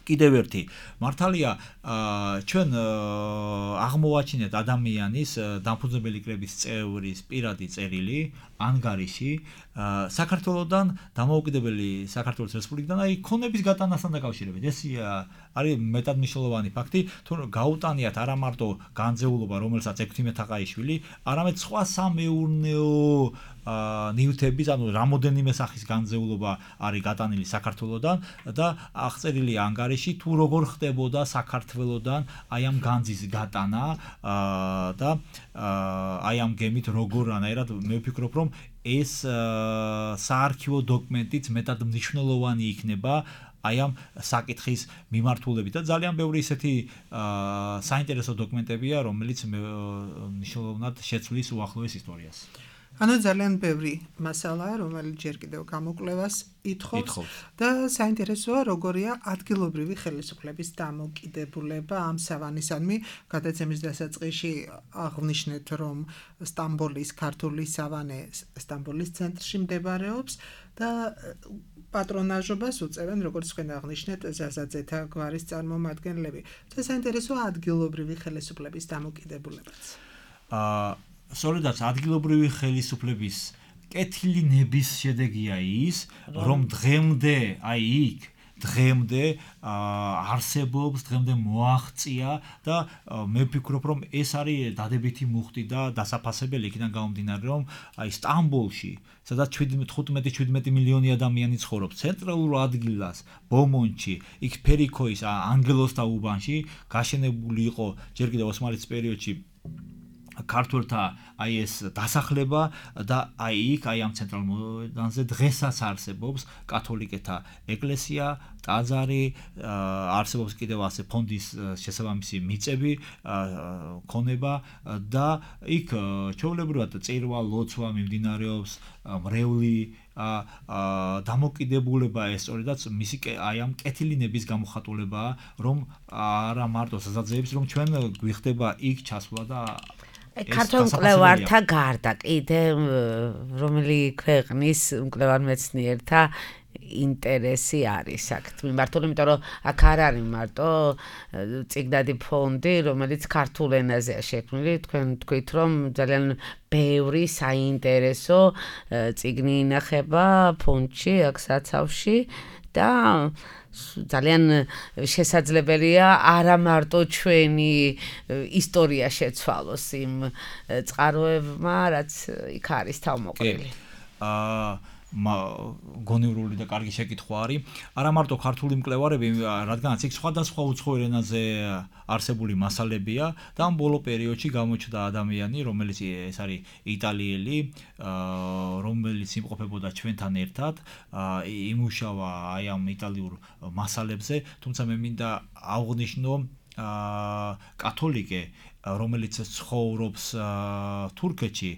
კიდევ ერთი მართალია ჩვენ აღმოვაჩინეთ ადამიანის დამფუძნებელი კრების წევრის პირადი წერილი ანგარიში საქართველოსთან დამოუკიდებელი საქართველოს რესპუბლიკიდან აი ქონების გატანასთან დაკავშირებით ეს არის მეტად მნიშვნელოვანი ფაქტი თუ გაუტანიათ არა მარტო განძეულობა რომელსაც ექვთიმე თაყაიშვილი არამედ სხვა სამეურნეო ნივთების ანუ რამოდენიმე სახის განძეულობა არის გატანილი საქართველოსთან და აღწერილი ანგარიში თუ როგორ ხდებოდა საქართველოსთან აი ამ განძის გატანა და აი ამ გემით როგორ ანაირად მე ვფიქრობ რომ ეს საარქივო დოკუმენტიც მეტად მნიშვნელოვანი იქნება აი ამ საკითხის მიმართულებით და ძალიან ბევრი ისეთი საინტერესო დოკუმენტებია რომელიც მნიშვნელოვნად შეცვლის უახლოეს ისტორიას. ანუ ძალიან ბევრი მასალაა, რომელიც ჯერ კიდევ გამოკვლევას ითხოვს და საინტერესოა როგორია ადგილობრივი ხელისუფლების დამოკიდებულება ამ სავანისადმი. გადაცემის დასაწყისში აღნიშნეთ, რომ სტამბოლის ქართული სავანე სტამბოლის ცენტრში მდებარეობს და პატრონაჟობას უწევენ, როგორც თქვენ აღნიშნეთ, ზაზაძეთა გვარის წარმომადგენლები. და საინტერესოა ადგილობრივი ხელისუფლების დამოკიდებულებაც. აა სწორედაც ადგილობრივი ხელისუფლების კეთილი ნების შედეგია ის, რომ დღემდე აი იქ დღემდე არსებობს, დღემდე მოაღწია და მე ვფიქრობ, რომ ეს არის დადებითი მუხტი და დასაფასებელი იქიდან გამომდინარე, რომ აი სტამბოლში, სადაც თხუთმეტი შვიდმეტი მილიონი ადამიანი ცხოვრობს, ცენტრალურ ადგილას, ბომონში, იქ ფერიქოის ანგელოსთა უბანში გაშენებული იყო ჯერ კიდევ ოსმალეთის პერიოდში ქართველთა აი ეს დასახლება და აი იქ აი ამ ცენტრალურ მოედანზე დღესაც არსებობს კათოლიკეთა ეკლესია, ტაძარი, არსებობს კიდევ ასე ფონდის შესაბამისი მიწები, ქონება და იქ ჩვეულებრივად წირვა, ლოცვა მიმდინარეობს, მრევლი დამოკიდებულება ეს სწორედაც მისი აი ამ კეთილი ნების გამოხატულებაა, რომ არა მარტო საზაძეებს, რომ ჩვენ გვიხდება იქ ჩასვლა და ქართულ მკვლევართა გარდა კიდე რომელი ქვეყნის მკვლევარ მეცნიერთა ინტერესი არის აქ მიმართული, იმიტომ რომ აქ არ არის მარტო წიგნადი ფონდი, რომელიც ქართულ ენაზეა შექმნილი, თქვენ თქვით რომ ძალიან ბევრი საინტერესო წიგნი ინახება ფონდში, აქ საცავში და ძალიან შესაძლებელია არა მარტო ჩვენი ისტორია შეცვალოს იმ წყაროებმა, რაც იქ არის თავმოყრილი. აა გონივრული და კარგი შეკითხვა არის. არა მარტო ქართული მკვლევარები, რადგანაც იქ სხვადასხვა უცხოურ ენაზე არსებული მასალებია და ამ ბოლო პერიოდში გამოჩნდა ადამიანი, რომელიც ეს არის იტალიელი, რომელიც იმყოფებოდა ჩვენთან ერთად, იმუშავა აი ამ იტალიურ მასალებზე, თუმცა მე მინდა აღვნიშნო აა კათოლიკე რომელიც ცხოვრობს თურქეთში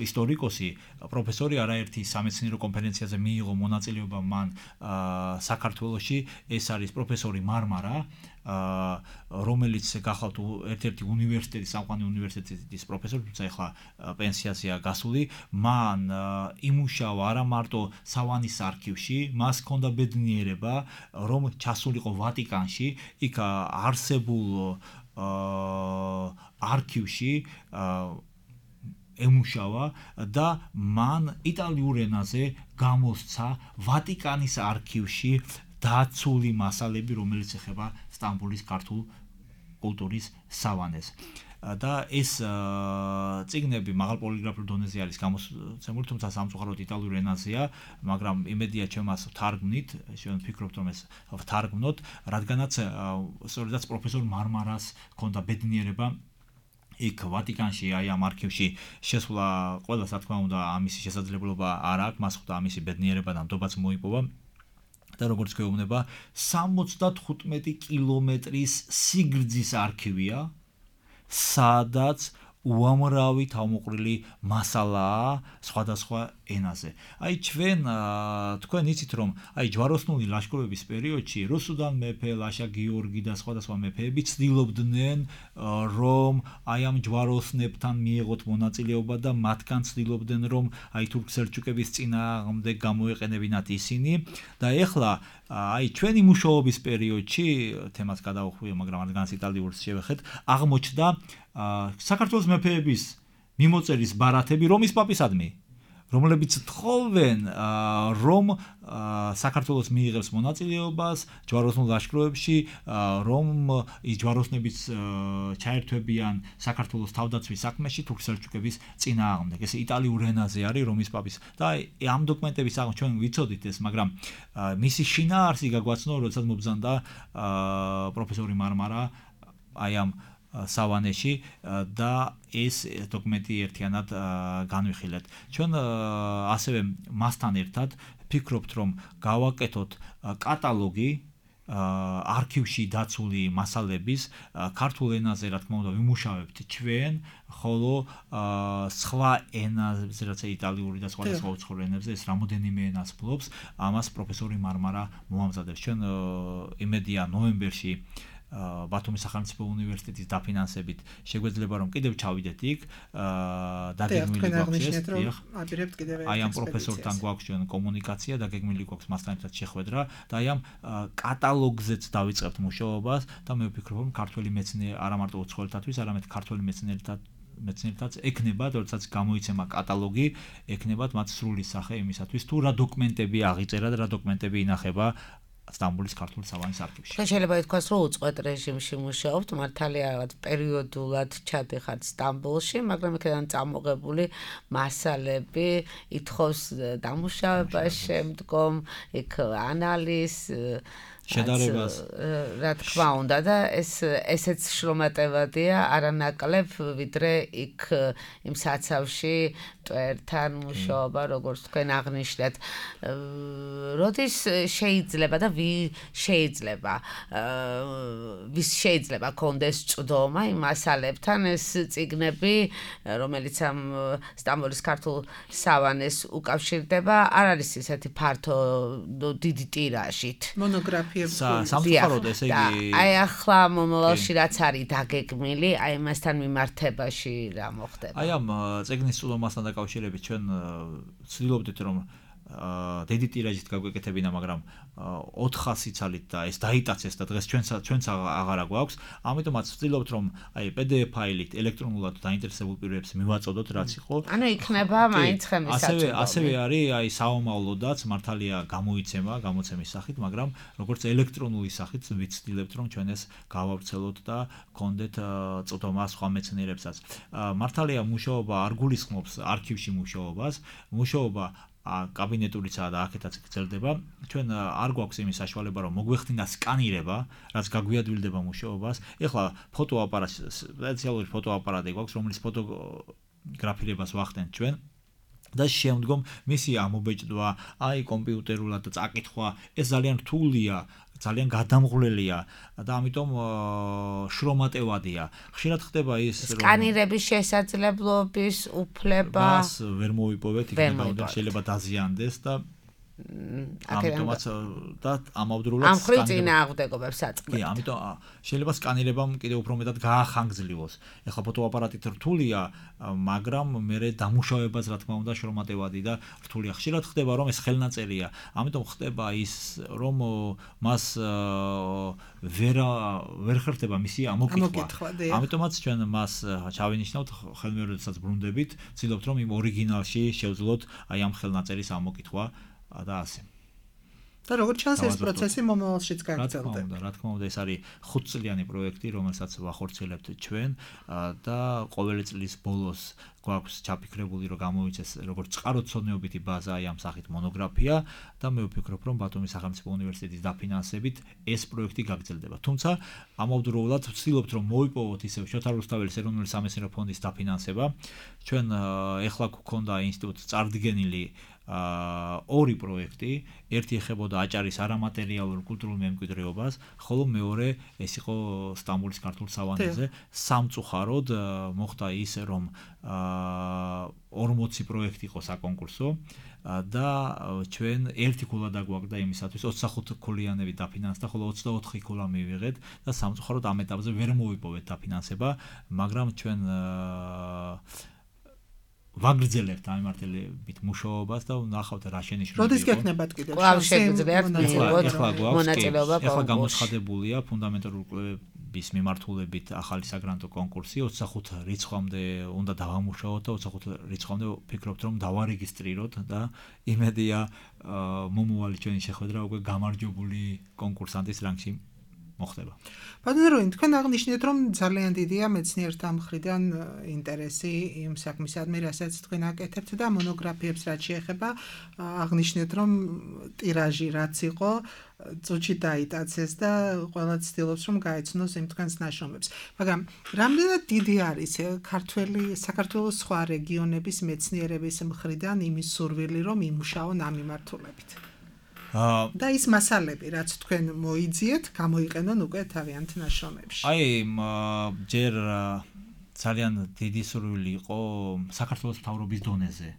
ისტორიკოსი პროფესორი არაერთი სამეცნიერო კონფერენციაზე მიიღო მონაწილეობა მან საქართველოში ეს არის პროფესორი მარმარა რომელიც გახალთ ერთ-ერთი უნივერსიტეტის სამყარო უნივერსიტეტის პროფესორი თუმცა ახლა პენსიაზეა გასული მან იმუშავა არა მარტო სავანის არქივში მას ჰქონდა ბედნიერება რომ ჩასულიყო ვატიკანში იქ არსებულ არქივში ემუშავა და მან იტალიურ ენაზე გამოსცა ვატიკანის არქივში დაცული მასალები რომელიც ეხება სტამბოლის ქართულ კულტურის სავანეს და ეს წიგნები მაღალ პოლიგრაფიულ დონეზე არის გამოცემული თუმცა სამწუხაროდ იტალიურ ენაზეა მაგრამ იმედია ჩემს ვთარგმნით ჩვენ ვფიქრობთ რომ ეს ვთარგმნოთ რადგანაც სწორედაც პროფესორ მარმარას ჰქონდა ბედნიერება იქ ვატიკანში აი ამ არქივში შესვლა ყველას რა თქმა უნდა ამისი შესაძლებლობა არ აქვს მას ხვდა ამისი ბედნიერება და ნდობაც მოიპოვა და როგორც გვეუბნება სამოცდათხუთმეტი კილომეტრის სიგრძის არქივია სადაც უამრავი თავმოყრილი მასალაა სხვადასხვა ენაზე. აი ჩვენ თქვენ იცით რომ აი ჯვაროსნული ლაშქრობების პერიოდში რუსუდან მეფე ლაშა გიორგი და სხვადასხვა მეფეები ცდილობდნენ რომ აი ამ ჯვაროსნებთან მიეღოთ მონაწილეობა და მათგან ცდილობდნენ რომ აი თურქ-სელჩუკების წინააღმდეგ გამოეყენებინათ ისინი და ეხლა აი ჩვენი მუშაობის პერიოდში თემას გადავხვიე მაგრამ რადგანაც იტალიურს შევეხეთ აღმოჩნდა საქართველოს მეფეების მიმოწერის ბარათები რომის პაპისადმი რომლებიც თხოვენ რომ საქართველოს მიიღებს მონაწილეობას ჯვაროსნულ ლაშქრობებში რომ ის ჯვაროსნებიც ჩაერთვებიან საქართველოს თავდაცვის საქმეში თურქ-სელჩუკების წინააღმდეგ ეს იტალიურ ენაზე არის რომის პაპის და ამ დოკუმენტების აღ ჩვენ ვიცოდით ეს მაგრამ მისი შინაარსი გაგვაცნო როდესაც მობრძანდა პროფესორი მარმარა აი ამ სავანეში და ეს დოკუმენტი ერთიანად განვიხილეთ. ჩვენ ასევე მასთან ერთად ფიქრობთ რომ გავაკეთოთ კატალოგი არქივში დაცული მასალების ქართულ ენაზე რა თქმა უნდა ვიმუშავებთ ჩვენ ხოლო სხვა ენაზე რაც იტალიური და სხვადასხვა უცხოურ ენებზე ეს რამოდენიმე ენას ფლობს ამას პროფესორი მარმარა მოამზადებს. ჩვენ იმედია ნოემბერში ბათუმის სახელმწიფო უნივერსიტეტის დაფინანსებით შეგვეძლება რომ კიდევ ჩავიდეთ იქ დაგეგმილი გვაქვს აი ამ პროფესორთან გვაქვს ჩვენ კომუნიკაცია დაგეგმილი გვაქვს მასთან ერთად შეხვედრა და აი ამ კატალოგზეც დავიწყებთ მუშაობას და მე ვფიქრობ რომ ქართველი მეცნიერი არა მარტო უცხოელთათვის არამედ ქართველი მეცნიერებთან მეცნიერებთაც ექნება როდესაც გამოიცემა კატალოგი ექნებათ მათ სრული სახე იმისათვის თუ რა დოკუმენტები აღიწერა და რა დოკუმენტები ინახება სტამბოლის ქართული სავანის არქივში. შეიძლება ითქვას, რომ უწყვეტ რეჟიმში მუშაობთ, მართალია რაღაც პერიოდულად ჩადიხართ სტამბოლში, მაგრამ იქიდან წამოღებული მასალები ითხოვს დამუშავებას შემდგომ, იქ ანალიზს შედარებას რა თქმა უნდა და ეს ესეც შრომატევადია არანაკლებ ვიდრე იქ იმ საცავში მტვერთან მუშაობა როგორც თქვენ აღნიშნეთ როდის შეიძლება და ვი შეიძლება ვის შეიძლება კონდეს წვდომა იმ მასალებთან ეს წიგნები რომელიც ამ სტამბოლის ქართულ სავანეს უკავშირდება არ არის ისეთი ფართო დიდი ტირაჟით მონოგრაფია სამწუხაროდ ესე იგი აი ახლა მომავალში რაც არის დაგეგმილი აი მასთან მიმართებაში რა მოხდება აი ამ წიგნის წვდომასთან დაკავშირებით ჩვენ ვცდილობდით რომ დიდი ტირაჟით გაგვეკეთებინა მაგრამ ოთხასი ცალით და ეს დაიტაცეს და დღეს ჩვენც ჩვენც აღარა გვაქვს ამიტომაც ვცდილობთ რომ აი პი დი ეფ ფაილით ელექტრონულად დაინტერესებულ პირებს მივაწოდოთ რაც იყო ანუ იქნება მაინც ხელმისაწვდომი ასევე ასევე არის აი საომავლოდაც მართალია გამოიცემა გამოცემის სახით მაგრამ როგორც ელექტრონული სახით ვცდილებთ რომ ჩვენ ეს გავავრცელოთ და გქონდეთ წვდომა სხვა მეცნიერებსაც მართალია მუშაობა არ გულისხმობს არქივში მუშაობას მუშაობა კაბინეტურიცაა და აქეთაც გრძელდება. ჩვენ არ გვაქვს იმის საშუალება რომ მოგვეხდინა სკანირება, რაც გაგვიადვილდება მუშაობას. ეხლა ფოტოაპარატი, სპეციალური ფოტოაპარატი გვაქვს, რომლის ფოტოგრაფირებას ვახდენთ ჩვენ. და შემდგომ მისი ამობეჭდვა, აი კომპიუტერულად წაკითხვა, ეს ძალიან რთულია. ძალიან გადამღვლელია და ამიტომ შრომატევადია. ხშირად ხდება ის რომ სკანირების შესაძლებლობის უფლება მას ვერ მოვიპოვეთ, იქნება შეიძლება დაზიანდეს და ამიტომაც და ამავდროულად ამ ხრი წინააღმდეგობებს აწყობთ. კი, ამიტომ შეიძლება სკანირებამ კიდევ უფრო მეტად გაახანგრძლიოს. ეხლა ფოტოაპარატით რთულია, მაგრამ მე დამუშავებაც რა თქმა უნდა შრომატევადი და რთულია. ხშირად ხდება რომ ეს ხელნაწერია. ამიტომ ხდება ის რომ მას ვერ ვერ ხერხდება მისი ამოკითხვა. ამიტომაც ჩვენ მას ჩავინიშნავთ ხელმეორედსაც ბრუნდებით, ვცდილობთ რომ იმ ორიგინალში შევძლოთ აი ამ ხელნაწერის ამოკითხვა. და ასე. და როგორც ჩანს ეს პროცესი მომავალშიც გაგრძელდება. რა თქმა უნდა, ეს არის ხუთწლიანი პროექტი, რომელსაც ვახორციელებთ ჩვენ და ყოველი წლის ბოლოს გვაქვს ჩაფიქრებული, რომ გამოიწეს როგორც წყაროთმცოდნეობითი ბაზა აი ამ სახით მონოგრაფია და მე ვფიქრობ, რომ ბათუმის სახელმწიფო უნივერსიტეტის დაფინანსებით ეს პროექტი გაგრძელდება. თუმცა ამავდროულად ვცდილობთ, რომ მოვიპოვოთ ისევ შოთა რუსთაველის ეროვნული სამეცნიერო ფონდის დაფინანსება. ჩვენ ეხლა გვქონდა ინსტიტუტს წარდგენილი ორი პროექტი, ერთი ეხებოდა აჭარის არამატერიალურ კულტურულ მემკვიდრეობას, ხოლო მეორე ეს იყო სტამბოლის ქართულ სავანეზე. სამწუხაროდ მოხდა ის, რომ ორმოცი პროექტი იყო საკონკურსო და ჩვენ ერთი ქულა დაგვაქვს და იმისათვის ოცდახუთ ქულიანები დაფინანსდა, ხოლო ოცდაოთხი ქულა მივიღეთ და სამწუხაროდ ამ ეტაპზე ვერ მოვიპოვეთ დაფინანსება, მაგრამ ჩვენ ვაგრძელებთ ამემართელებით მუშაობას და ვნახავთ რა შენიშვნები. როდის გექნებათ კიდევ? კვლავ შეგვიძლიათ მონაწილეობა კონკურსში. ეხლა გამოცხადებულია ფუნდამენტური კვლევების მიმართულებით ახალი საგრანტო კონკურსი, ოცდახუთ რიცხვამდე უნდა დავამუშაოთ და ოცდახუთ რიცხვამდე ვფიქრობთ რომ დავარეგისტრიროთ და იმედია მომავალი ჩვენი შეხვედრა უკვე გამარჯვებული კონკურსანტის რანგში მოხდება. ბატონო, თქვენ აღნიშნეთ, რომ ძალიან დიდია მეცნიერთა მხრიდან ინტერესი იმ საქმისადმი, რასაც თქვენ აკეთებთ და მონოგრაფიებს რაც შეეხება, აღნიშნეთ, რომ ტირაჟი რაც იყო, წუთში დაიტაცეს და ყველა ცდილობს, რომ გაეცნოს იმ თქვენს ნაშრომებს. მაგრამ რამდენად დიდი არის ქართველი, საქართველოს სხვა რეგიონების მეცნიერების მხრიდან იმის სურვილი, რომ იმუშაონ ამ მიმართულებით? და ის მასალები, რაც თქვენ მოიძიეთ, გამოიყენონ უკვე თავიანთ ნაშრომებში. აი, ჯერ ძალიან დიდი სურვილი იყო საქართველოს მთავრობის დონეზე,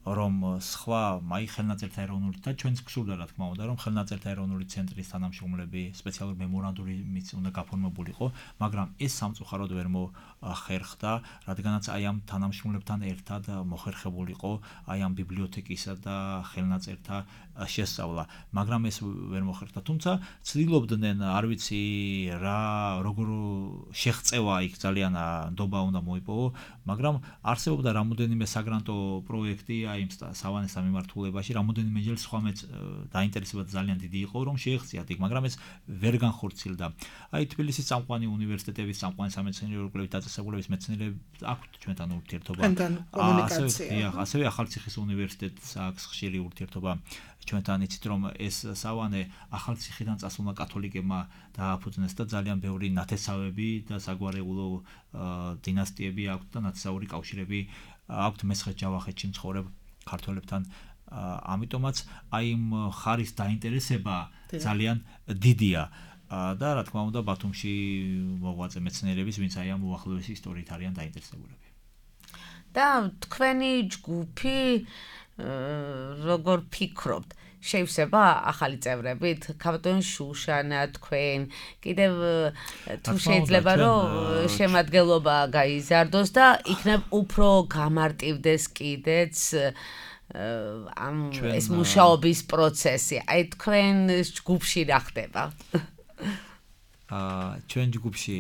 რომ სხვა აი ხელნაწერთა ეროვნული და ჩვენც გსურდა რა თქმა უნდა, რომ ხელნაწერთა ეროვნული ცენტრის თანამშრომლები სპეციალური მემორანდუმით უნდა გაფორმებულიყო, მაგრამ ეს სამწუხაროდ ვერ მოხერხდა, რადგანაც აი ამ თანამშრომლებთან ერთად მოხერხებულიყო აი ამ ბიბლიოთეკისა და ხელნაწერთა შესწავლა, მაგრამ ეს ვერ მოხერხდა. თუმცა ცდილობდნენ, არ ვიცი რა, როგორ შეღწევა იქ ძალიან ნდობა უნდა მოიპოვო, მაგრამ არსებობდა რამოდენიმე საგრანტო პროექტი აი იმ სავანესთან მიმართულებაში, რამოდენიმეჯერ სხვა მეც დაინტერესება ძალიან დიდი იყო, რომ შეეღწიათ იქ, მაგრამ ეს ვერ განხორციელდა. აი თბილისის წამყვანი უნივერსიტეტების, წამყვანი სამეცნიერო კვლევით დაწესებულების მეცნიერებს აქვთ ჩვენთან ურთიერთობა. კომუნიკაცია. ასევე ახალციხის უნივერსიტეტს აქვს ხშირი ურთიერთობა ჩვენთან, იცით რომ ეს სავანე ახალციხიდან წასულმა კათოლიკებმა დააფუძნეს და ძალიან ბევრი ნათესავები და საგვარეულო დინასტიები აქვთ და ნათესაური კავშირები აქვთ მესხეთ-ჯავახეთში მცხოვრებ ქართველებთან. ამიტომაც აი იმ ხარის დაინტერესება ძალიან დიდია და რა თქმა უნდა ბათუმში მოღვაწე მეცნიერების, ვინც აი ამ უახლოესი ისტორიით არიან დაინტერესებულები. და თქვენი ჯგუფი როგორ ფიქრობთ, შევსება ახალი წევრებით, ქავტონ შუშანა, თქვენ, კიდევ თუ შეიძლება რომ შემადგენლობა გაიზარდოს და იქნებ უფრო გამარტივდეს კიდეც ამ ეს მუშაობის პროცესი. აი თქვენ ჯგუფში რა ხდება? აა ჩვენ ჯგუფში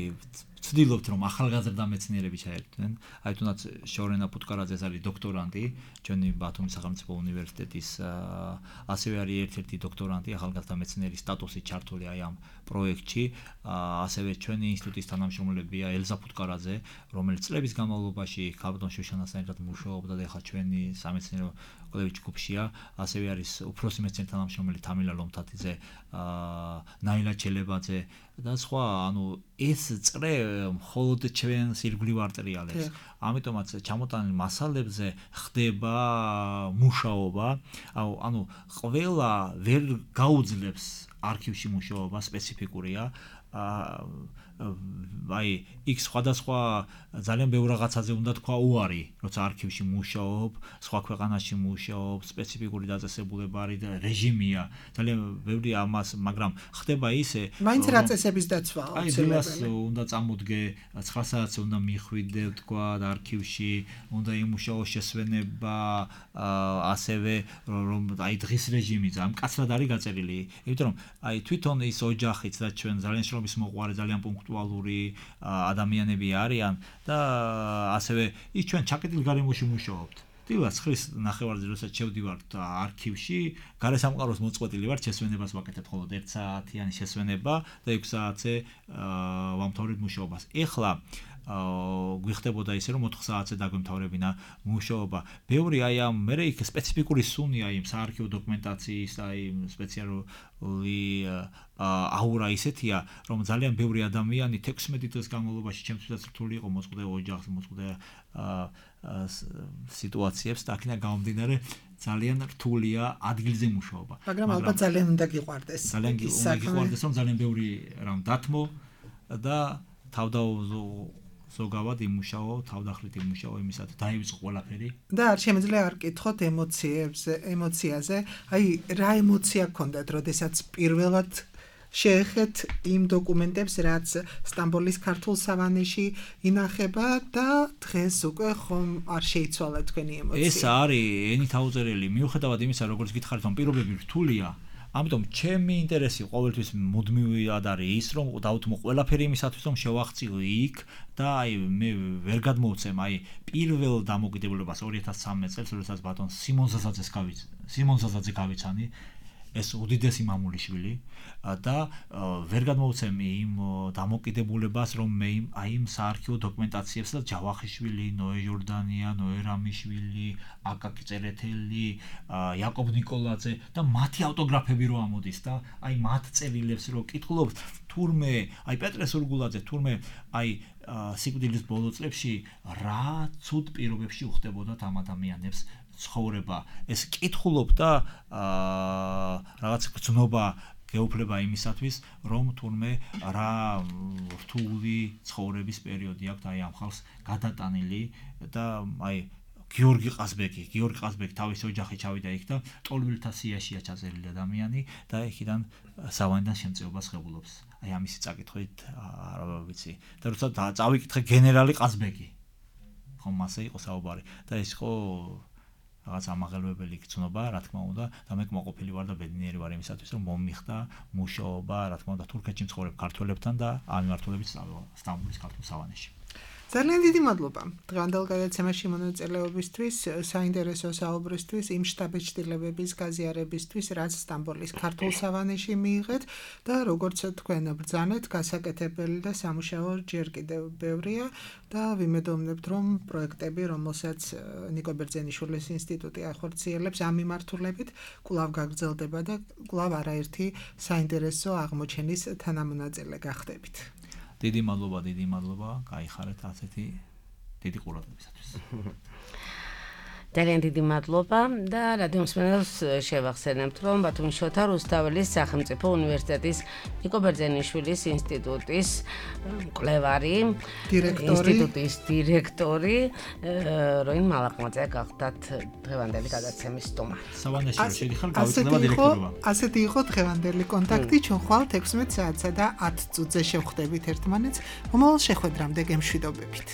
ვცდილობთ რომ ახალგაზრდა მეცნიერები ჩაერთვნენ. აი თუნდაც შორენა პუტკარაძე არის დოქტორანტი, ჩვენი ბათუმის სახელმწიფო უნივერსიტეტის ასევე არის ერთ-ერთი დოქტორანტი, ახალგაზრდა მეცნიერის სტატუსით ჩართული აი ამ პროექტში. ასევე ჩვენი ინსტიტუტის თანამშრომლებია ელზა პუტკარაძე, რომელიც წლების განმავლობაში ქავტონ შუშანასთან ერთად მუშაობდა და ახლა ჩვენი სამეცნიერო კვლევის ჯგუფშია. ასევე არის უფროსი მეცნიერი თანამშრომელი თამილა ლომთათიძე, ნაილა ჩელებაძე და სხვა, ანუ ეს წრე მხოლოდ ჩვენს ირგვლივ არ ტრიალებს. ამიტომაც ჩამოტანილ მასალებზე ხდება მუშაობა, ანუ ყველა ვერ გაუძლებს არქივში მუშაობა სპეციფიკურია. აი, იქ სხვადასხვა ძალიან ბევრ რაღაცაზე უნდა თქვა უარი, როცა არქივში მუშაობ, სხვა ქვეყანაში მუშაობ, სპეციფიკური დაწესებულება არის და რეჟიმია. ძალიან ბევრი ამას, მაგრამ ხდება ისე, მაინც რა წესების დაცვა აუცილებელი. აი, უნდა წამოდგე, ცხრა საათზე უნდა მიხვიდე, თქვა არქივში, უნდა იმუშაო შესვენება, ასევე რომ აი დღის რეჟიმი ძალიან მკაცრად არის გაწერილი. იმიტომ რომ აი თვითონ ის ოჯახიც და ჩვენ ძალიან შრომის მოყვარე, ძალიან პუნქტუალური ადამიანები არიან და ასევე ის ჩვენ ჩაკეტილ გარემოში მუშაობთ. დილას ხრის ნახევარზე როდესაც შევდივართ არქივში, გარესამყაროს მოწყვეტილი ვარ, შესვენებას ვაკეთებ მხოლოდ ერთ საათიანი შესვენება და ექვსი საათზე ვამთავრებ მუშაობას. ეხლა გვიხდებოდა ისე რომ ოთხ საათზე დაგვემთავრებინა მუშაობა. ბევრი აი ამ მე იქ სპეციფიკური სუნია იმ საარქივო დოკუმენტაციის აი სპეციალური აურა ისეთია რომ ძალიან ბევრი ადამიანი თექვსმეტი წლის განმავლობაში ჩემთვისაც რთული იყო მოწყდა ოჯახს მოწყდა სიტუაციებს და აქედან გამომდინარე ძალიან რთულია ადგილზე მუშაობა. მაგრამ ალბათ ძალიან უნდა გიყვარდეს. ძალიან უნდა გიყვარდეს რომ ძალიან ბევრი რამ დათმო და თავდაუზო ზოგავად იმუშაო, თავდახლით იმუშაო იმისათვის დაივიწყო ყველაფერი. და არ შემიძლია არ კითხოთ ემოციებზე, ემოციაზე. აი, რა ემოცია გქონდათ, როდესაც პირველად შეეხეთ იმ დოკუმენტებს, რაც სტამბოლის ქართულ სავანეში ინახება და დღეს უკვე ხომ არ შეიცვალა თქვენი ემოცია. ეს არის ენით აუწერელი, მიუხედავად იმისა, როგორც გითხარით, რომ პირობები რთულია. ამიტომ ჩემი ინტერესი ყოველთვის მუდმივად არის ის, რომ დავთმო ყველაფერი იმისათვის, რომ შევახციო იქ და აი მე ვერ გადმოვცემ აი პირველ დამოკიდებულებას ორი ათას სამი წელს, როდესაც ბატონ სიმონ ზაზაძეს გავიც, სიმონ ზაზაძე გავიცანი, ეს უდიდესი მამულიშვილი და ვერ გადმოვცემ იმ დამოკიდებულებას, რომ მე აი იმ საარქივო დოკუმენტაციებს და ჯავახიშვილი, ნოე ჟორდანია, ნოე რამიშვილი, აკაკი წერეთელი, იაკობ ნიკოლაძე და მათი ავტოგრაფები რო ამოდის და აი მათ წერილებს რო კითხულობთ, თურმე აი პეტრე სურგულაძე, თურმე აი სიკვდილის ბოლო წლებში რა ცუდ პირობებში უხდებოდათ ამ ადამიანებს ცხოვრება. ეს კითხულობ და რაღაც გრძნობა გეუფლება იმისათვის, რომ თურმე რა რთული ცხოვრების პერიოდი აქვს აი ამ ხალხს გადატანილი და აი გიორგი ყაზბეგი, გიორგი ყაზბეგი თავის ოჯახი ჩავიდა იქ და ტოლვილთა სიაშია ჩაწერილი ადამიანი და იქიდან სავანიდან შემწეობას ღებულობს. აი ამისი წაკითხვით არა ვიცი. და როცა წავიკითხე გენერალი ყაზბეგი. ხომ მასე იყო საუბარი და ეს ხო რაღაც ამაღელვებელი გწნობა, რა თქმა უნდა, და მე კმაყოფილი ვარ და ბედნიერი ვარ იმისათვის, რომ მომიხდა მუშაობა, რა თქმა უნდა, თურქეთში მცხოვრებ ქართველებთან და ამ მიმართულებით სტამბოლის ქართულ სავანეში. ძალიან დიდი მადლობა დღევანდელ გადაცემაში მონაწილეობისთვის, საინტერესო საუბრისთვის, იმ შტაბეჭდილებების გაზიარებისთვის, რაც სტამბოლის ქართულ სავანეში მიიღეთ და როგორც თქვენ ბრძანეთ, გასაკეთებელი და სამუშაო ჯერ კიდევ ბევრია და ვიმედოვნებთ, რომ პროექტები, რომელსაც ნიკო ბერძენიშვილის ინსტიტუტი ახორციელებს ამ მიმართულებით, კვლავ გაგრძელდება და კვლავ არაერთი საინტერესო აღმოჩენის თანამონაწილე გახდებით. დიდი მადლობა, დიდი მადლობა, გაიხარეთ ასეთი დიდი ყურადღებისათვის. ძალიან დიდი მადლობა და რადიო მსმენელს შევახსენებთ, რომ ბათუმის შოთა რუსთაველის სახელმწიფო უნივერსიტეტის ნიკო ბერძენიშვილის ინსტიტუტის მკვლევარი, ინსტიტუტის დირექტორი როინ მალაყმაძე გახდათ დღევანდელი გადაცემის სტუმარი. სავანეში რომ შედიხარ, გავიწდება დირექტორობა. ასეთი იყო დღევანდელი კონტაქტი, ჩვენ ხვალ თექვსმეტ საათსა და ათ წუთზე შევხვდებით ერთმანეთს. მომავალ შეხვედრამდე გემშვიდობებით.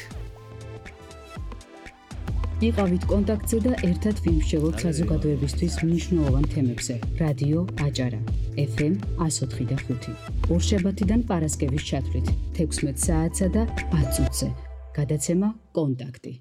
იყავით კონტაქტზე და ერთად ვიმსჯელოთ საზოგადოებისთვის მნიშვნელოვან თემებზე. რადიო აჭარა, ეფ ემ εκατო ოთხი და ხუთი. ორშაბათიდან პარასკევის ჩათვლით თექვსმეტ საათსა და ათ წუთზე. გადაცემა კონტაქტი.